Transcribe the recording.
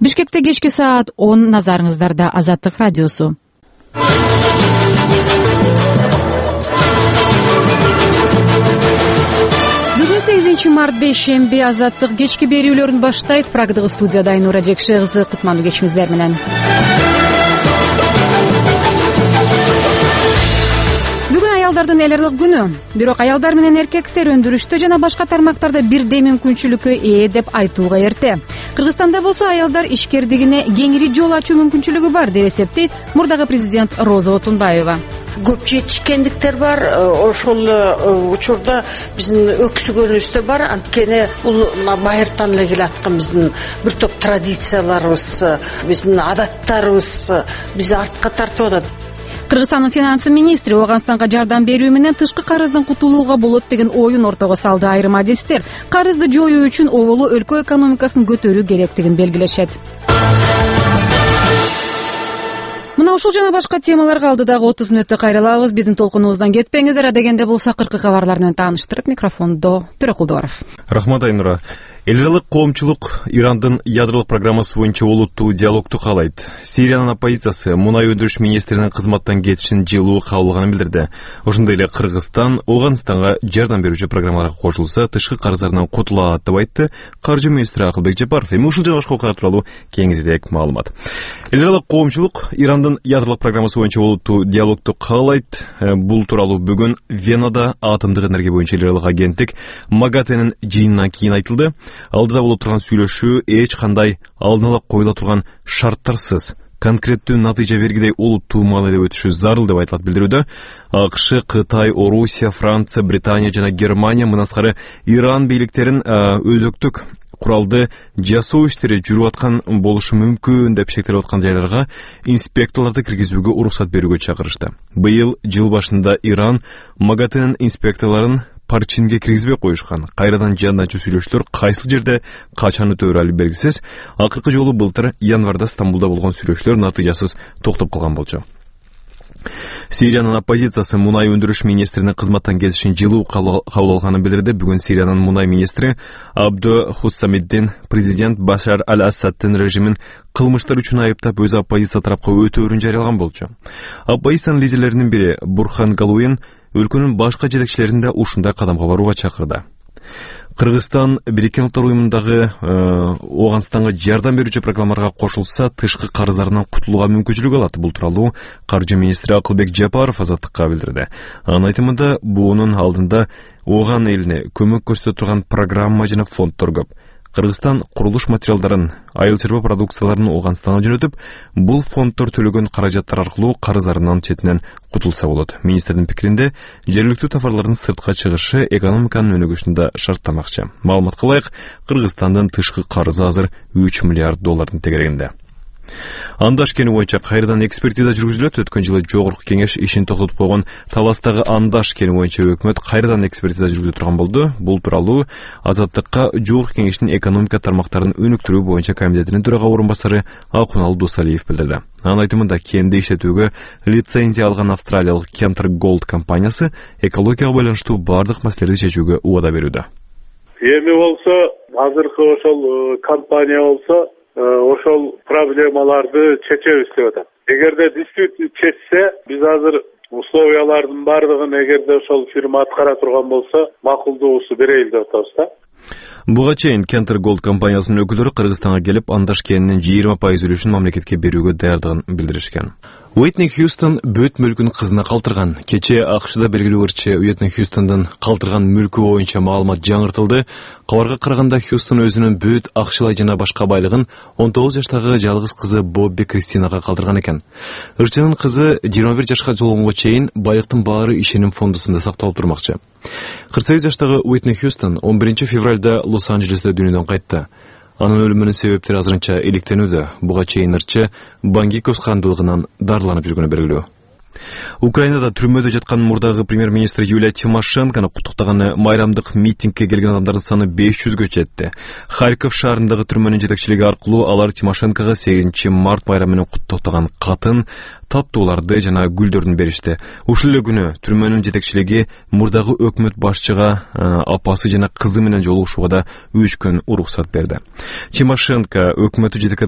Бишкекте кечки саат 10, назарыңыздарда Азаттык радиосу. Бүгүн 8-март бейшемби, Азаттык кечки берүүлөрүн баштайт. Прагдагы студияда Айнура Жекше кызы, кутмандуу кечиңиздер менен. Бүгүн аялдардын эл аралык күнү. Бирок аялдар менен эркектер өндүрүштө жана башка тармактарда бирдей мүмкүнчүлүккө ээ деп айтууга эрте. Кыргызстанда болсо аялдар ишкердигине кеңири жол ачуу мүмкүнчүлүгү бар деп эсептейт мурдагы президент Роза Отунбаева. Көп жетишкендиктер бар, ошол учурда биздин өксүгөнүбүз бар. Анткени бул байыртан эле келаткан биздин бир топ традицияларыбыз, биздин адаттарыбыз бизди артка тартып атат. Кыргызстандын финанс министри Ооганстанга жардам берүү менен тышкы карыздан кутулууга болот деген оюн ортого салды. Айрым адистер карызды жоюу үчүн оболу өлкө экономикасын көтөрүү керектигин белгилешет. Мына ушул жана башка темаларга алдыдагы 30 мүнөттө кайрылабыз. Биздин толкунубуздан кетпеңиздер. Адегенде болсо акыркы кабарлар менен тааныштырып, микрофондо Төрөкулдуаров. Рахмат, Айнура. Эл аралык коомчулук Ирандын ядролук программасы боюнча олуттуу диалогду каалайт. Сириянын оппозициясы мунай өндүрүш министринин кызматтан кетишин жылуу кабыл алганын билдирди. Ошондой эле Кыргызстан Ооганстанга жардам берүүчү программаларга кошулса, тышкы карыздарынан кутула алат деп айтты каржы министри Акылбек Жапаров. Эми ушул жана башка окуялар тууралуу кеңирээк маалымат. Эл аралык коомчулук Ирандын ядролук программасы боюнча олуттуу диалогду каалайт. Бул тууралуу бүгүн Венада атомдук энергия боюнча эл аралык агенттик МАГАТЭнин жыйынынан кийин айтылды. Алдыда болуп турган сүйлөшүү эч кандай алдын ала коюла турган шарттарсыз конкреттүү натыйжа бергидей олуттуу маанайда өтүшү зарыл деп айтылат билдирүүдө. АКШ, Кытай, Орусия, Франция, Британия жана Германия мындан Иран бийликтерин өзөктүк куралды жасоо иштери жүрүп аткан болушу мүмкүн деп шектелип аткан жайларга инспекторлорду киргизүүгө уруксат берүүгө чакырышты. Быйыл жыл башында Иран МАГАТЭнин инспекторлорун парчинге киргизбей коюшкан. Кайрадан жандачуу сүйлөшүүлөр кайсыл жерде качан өтөөрү али белгисиз. Акыркы жолу былтыр январда Стамбулда болгон сүйлөшүүлөр натыйжасыз токтоп калган болчу. Сириянын оппозициясы мунай өндүрүш министринин кызматтан кетишин жылуу кабыл алганын билдирди. Бүгүн Сириянын мунай министри Абдо Хуссамиддин президент Башар аль-Асаддын режимин кылмыштар үчүн айыптап өз оппозиция тарапка өтөөрүн жарыялаган болчу. Оппозициянын лидерлеринин бири Бурхан Галуин өлкөнүн башка жетекчилерин да ушундай кадамга барууга чакырды. Кыргызстан Бириккен Улуттар уюмундагы Ооганстанга жардам берүүчү программаларга кошулса, тышкы карыздарынан кутулууга мүмкүнчүлүк алат. Бул тууралуу каржы министри Акылбек Жапаров Азаттыкка билдирди. Анын айтымында, буунун алдында Ооган элине көмөк көрсөтө турган программа жана фонддор көп. Кыргызстан курулуш материалдарын, айыл чарба продукцияларын Ооганстанга жөнөтүп, бул фонддор төлөгөн каражаттар аркылуу карыздарынан четинен кутулса болот. Министрдин пикиринде, жергиликтүү товарлардын сыртка чыгышы экономиканын өнүгүшүндө шарттамакчы. Маалыматка ылайык, Кыргызстандын тышкы карызы азыр $3 миллиард тегерегинде. Андаш кени боюнча кайрадан экспертиза жүргүзүлөт. Өткөн жылы жогорку кеңеш ишин токтотуп койгон Таластагы Андаш кени боюнча өкмөт кайрадан экспертиза жүргүзө турган болду. Бул тууралуу Азаттыкка жогорку кеңештин экономика тармактарын өнүктүрүү боюнча комитетинин төрага орун басары Акунал Досалиев билдирди. Анын айтымында, кенди иштетүүгө лицензия алган австралиялык Cantor Gold компаниясы экологияга байланыштуу бардык маселелерди чечүүгө убада берүүдө. Эми болсо азыркы ошол компания болсо ошол проблемаларды чечебиз деп атат. Эгерде диспут чечсе, биз азыр условиялардын бардыгын эгерде ошол фирма аткара турган болсо, макулдугусу берейли деп атабыз да. Буга чейин Cantor Gold компаниясынын өкүлдөрү Кыргызстанга келип, Андаш кенинин 20% үлүшүн мамлекетке берүүгө даярдыгын билдиришкен. Уитни Хьюстон бөт мүлкүн кызына калтырган. Кече АКШда белгилүү ырчы Уитни Хьюстондун калтырган мүлкү боюнча маалымат жаңыртылды. Кабарга караганда, Хьюстон өзүнүн бөт акчалай жана башка байлыгын 19 жаштагы жалгыз кызы Бобби Кристинага калтырган экен. Ырчынын кызы 21 жашка толгонго чейин байлыктын баары ишеним фондусунда сакталып турмакчы. 48 жаштагы Уитни Хьюстон 11 февралда Лос-Анджелесте дүйнөдөн кайтты. Анын өлүмүнүн себептери азырынча иликтенүүдө. Буга чейин ырчы баңгикоз кандылыгынан дарыланып жүргөнү белгилүү. Украинада түрмөдө жаткан мурдагы премьер-министр Юлия Тимошенкону куттуктаган майрамдык митингге келген адамдардын саны 500гө жетти. Харьков шаарындагы түрмөнүн жетекчилиги аркылуу алар Тимошенкого 8 март майрамы менен куттуктаган катын, таттууларды жана гүлдөрдүн беришти. Ушул эле күнү түрмөнүн жетекчилиги мурдагы өкмөт башчыга апасы жана кызы менен жолугушууга да 3 күн уруксат берди. Тимошенко өкмөтү жетектеп